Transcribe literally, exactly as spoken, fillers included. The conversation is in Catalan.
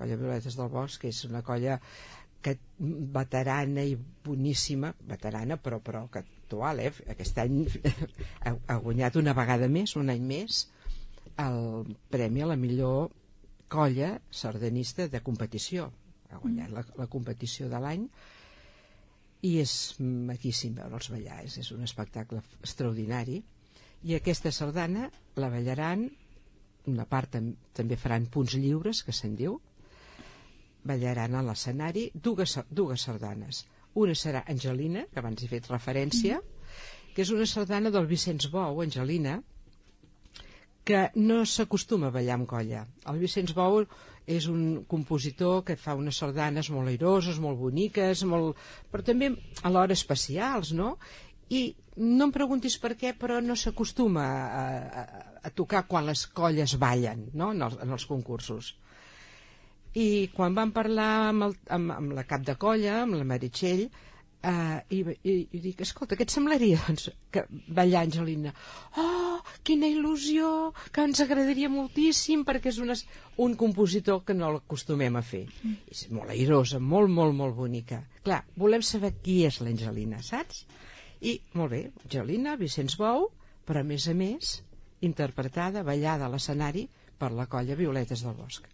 colla Violetes del Bosc, que és una colla que, veterana i boníssima, veterana però, però que actual, eh? Aquest any ha, ha guanyat una vegada més, un any més, el premi a la millor colla sardanista de competició. Ha guanyat la, la competició de l'any, i és maquíssim veure'ls ballar, és, és un espectacle extraordinari. I aquesta sardana la ballaran, una part tam també faran punts lliures, que se'n diu, ballaran a l'escenari dues, dues sardanes. Una serà Angelina, que abans he fet referència, que és una sardana del Vicenç Bou, Angelina, que no s'acostuma a ballar amb colla. El Vicenç Bou és un compositor que fa unes sardanes molt airoses, molt boniques, molt... però també alhora especials, no? I no em preguntis per què, però no s'acostuma a, a, a tocar quan les colles ballen, no? en, els, en els concursos. I quan vam parlar amb, el, amb, amb la cap de colla, amb la Meritxell, Uh, i, i, i dic, escolta, què et semblaria doncs, que ballar Angelina? Oh, quina il·lusió, que ens agradaria moltíssim, perquè és una, un compositor que no l'acostumem a fer. Mm. És molt airosa, molt, molt, molt bonica. Clar, volem saber qui és l'Angelina, saps? I, molt bé, Angelina, Vicenç Bou, però a més a més interpretada, ballada a l'escenari per la colla Violetes del Bosc.